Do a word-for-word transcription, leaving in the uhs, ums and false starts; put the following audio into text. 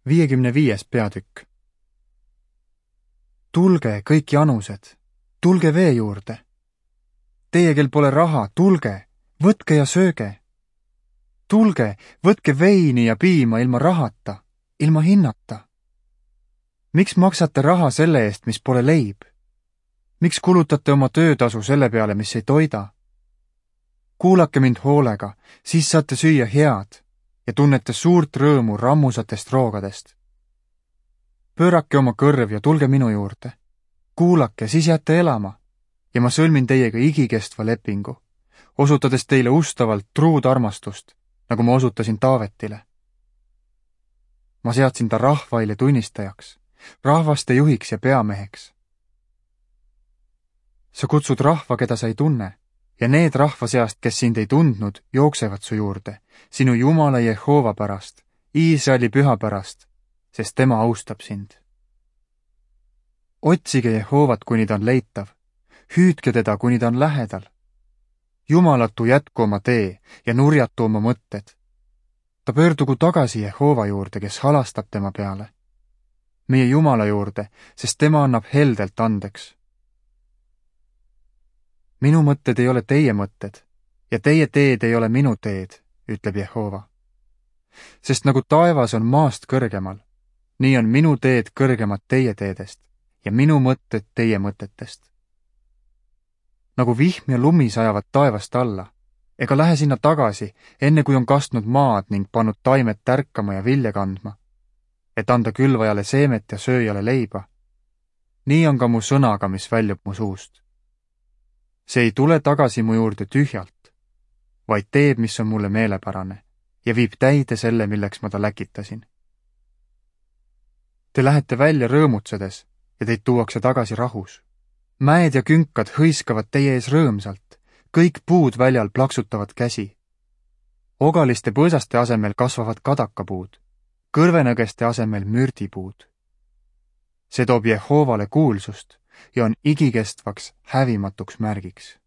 viiekümne viies peatükk. Tulge, kõik janused, tulge vee juurde. Teie, kel pole raha, tulge, võtke ja sööge. Tulge, võtke veini ja piima ilma rahata, ilma hinnata. Miks maksate raha selle eest, mis pole leib? Miks kulutate oma töötasu selle peale, mis ei toida? Kuulake mind hoolega, siis saate süüa head ja tunnete suurt rõõmu rammusatest roogadest. Pöörake oma kõrv ja tulge minu juurde. Kuulake, siis jääte elama ja ma sõlmin teiega igikestva lepingu, osutades teile ustavalt truud armastust, nagu ma osutasin Taavetile. Ma seadsin ta rahvaile tunnistajaks, rahvaste juhiks ja peameheks. Sa kutsud rahva, keda sa ei tunne, ja need rahva seast, kes sind ei tundnud, jooksevad su juurde, sinu Jumala Jehova pärast, Iisraeli püha pärast, sest tema austab sind. Otsige Jehovat, kuni ta on leitav, hüüdke teda, kuni ta on lähedal. Jumalatu jätku oma tee ja nurjatu oma mõtted. Ta pöördugu tagasi Jehova juurde, kes halastab tema peale. Meie Jumala juurde, sest tema annab heldelt andeks. Minu mõtted ei ole teie mõtted ja teie teed ei ole minu teed, ütleb Jehova. Sest nagu taevas on maast kõrgemal, nii on minu teed kõrgemad teie teedest ja minu mõtted teie mõtetest. Nagu vihm ja lumi sajavad taevast alla, ega lähe sinna tagasi, enne kui on kastnud maad ning pannud taimed tärkama ja vilja kandma, et anda külvajale seemet ja sööjale leiba. Nii on ka mu sõnaga, mis väljub mu suust. See ei tule tagasi mu juurde tühjalt, vaid teeb, mis on mulle meelepärane ja viib täide selle, milleks ma ta läkitasin. Te lähete välja rõõmutsedes ja teid tuuakse tagasi rahus. Mäed ja künkad hõiskavad teie ees rõõmsalt, kõik puud väljal plaksutavad käsi. Ogaliste põõsaste asemel kasvavad kadakapuud, kõrvenõgeste asemel mürdipuud. See toob Jehovale kuulsust ja on igikestvaks hävimatuks märgiks.